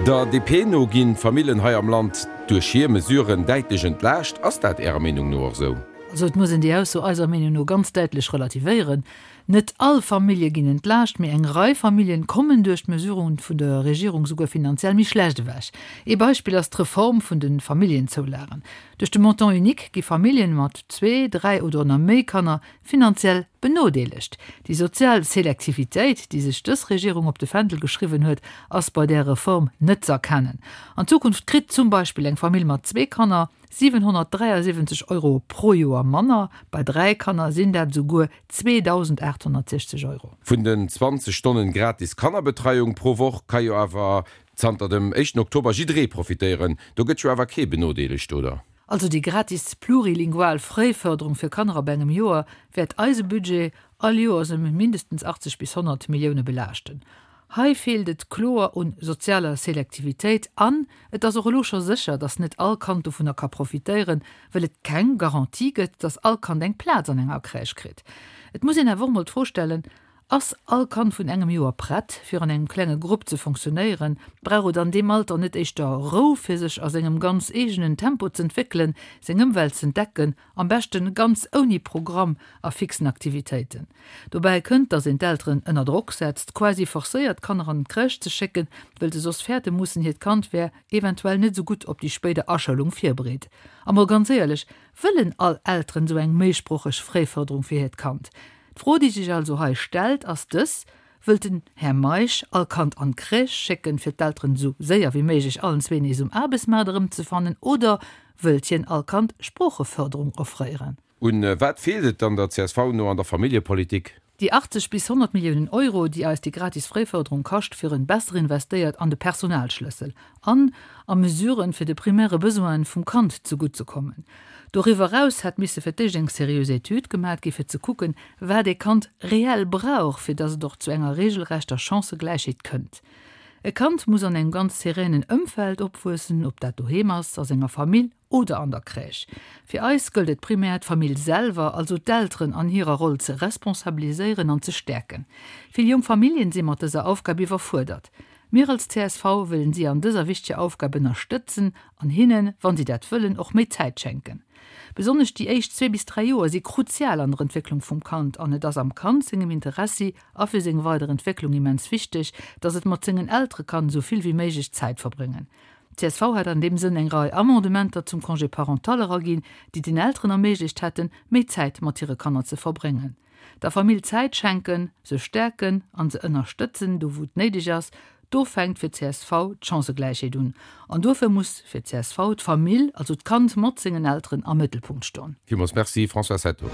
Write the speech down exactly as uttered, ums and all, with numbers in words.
Der D P no ginn d'Familljen hei am Land duerch hir Mesuren däitlech entlaascht. Ass dat Ärer Meenung no och esou? Also et muss een déi Ausso eiser Meenung no ganz däitlech relativéieren. Net all Famillje ginn entlaascht, mee eng Rei Familljen kommen duerch d'Mesuren vun der Regierung souguer finanziell méi schlecht ewech. Ee Beispill ass d'Reform vun de Familljenzoulagen. Duerch de Montant unique gi Familljen mat zwee, dräi oder nach méi Kanner finanziell benodeelegt. Déi sozial Selektivitéit, déi sech dës Regierung op de Fändel geschriwwen huet, ass bei där Reform net z'erkennen. An Zukunft kritt zum Beispill eng Famill mat zwee Kanner siwenhonnertdräiasiwwenzeg Euro pro Joer manner, bei dräi Kanner sinn dat esouguer zweedausendaathonnertsechzeg Euro. Vun den zwanzeg Stonnen gratis Kannerbetreiung pro Woch ka jo awer zanter dem éischten Oktober jidderee profitéieren. Do gëtt jo awer kee benodeelegt, oder? Also déi gratis plurilingual Fréifërderung fir Kanner ab engem Joer wäert eise Budget all Joers ëm mindestens achtzeg bis honnert Millioune belaaschten. Hei feelt et kloer un sozialer Selektivitéit an et ass och elo scho sécher, dass net all Kand dovunner ka profitéieren, well et keng Garantie gëtt, dass all Kand eng Plaz an enger Crèche kritt. Et muss een awer och mol d'Fro stellen, Ass all Kand vun engem Joer prett, fir an engem klenge Grupp ze fonctionnéieren? Brauch et an deem Alter net éischter Rou, fir sech a sengem ganz eegenen Tempo z'entwéckelen, seng Ëmwelt z'entdecken, am beschten ganz ouni Programm a fixen Aktivitéiten? Dobäi kënnt, dass een d'Elteren ënner Drock setzt, quasi forcéiert, d'Kanner an d'Crèche ze schécken, wëll se soss fäerte mussen, hiert Kand wär eventuell net esou gutt op déi spéider Aschoulung virbereet. A mol ganz éierlech, Wëllen all Elteren esou eng méisproocheg Fréifërderung fir hiert Kand? D'Fro, déi sech also hei stellt, ass dës, Wëllt den Här Meisch all Kand an d'Crèche schécken, fir d'Elteren esou séier wéi méiglech allen zwee nees um Aarbechtsmaart erëmzefannen, oder wëllt hien all Kand Sproochefërderung offréieren? Un wat feelt et dann der C S V no an der Familljepolitik? Déi achtzeg bis honnert Milliounen Euro, déi eis déi gratis Fréifërderung kascht, wieren besser investéiert an de Personalschlëssel an a Mesuren, fir de primäre Besoine vum Kand zegutt ze kommen. Doriwwer eraus hätt misse fir d'éischt eng seriös Etüd gemaat gi fir ze kucken, wat ee Kand reell brauch, fir dass et och zu enger regelrechter Chancëgläichheet kënnt. E Kand muss an engem ganz sereinen Ëmfeld opwuessen, ob dat doheem ass, a senger Famill oder an der Crèche. Fir eis gëllt et primär, d'Famill selwer, also d'Elteren an hirer Roll ze responsabiliséieren an ze stäerken. Vill jonk Familljen si mat dëser Aufgab iwwerfuerdert. Mir als C S V wëllen si an dëser wichteger Aufgab ënnerstëtzen an hinnen, wann si dat wëllen, och méi Zäit schenken. Besonnesch déi éischt zwee bis dräi Joer si kruzial an der Entwécklung vum Kand an et ass am Kand sengem Interessi a fir seng weider Entwécklung immens wichteg, dass et mat sengen Eltere kann esou vill wéi méiglech Zäit verbréngen. C S V hat an deem Sënn eng Rei Amendementer zum Congé parental eraginn, déi den Elteren erméiglecht hätten, méi Zäit mat hire Kanner ze verbréngen. Der Famill Zäit schenken, se stäerken an se ënnerstëtzen, do wou et néideg ass, do fänkt fir C S V d'Chancëgläichheet un. An dofir muss fir C S V d'Famill, also d'Kand mat sengen Elteren am Mëttelpunkt stoen. Villmools Merci, Françoise Hetto.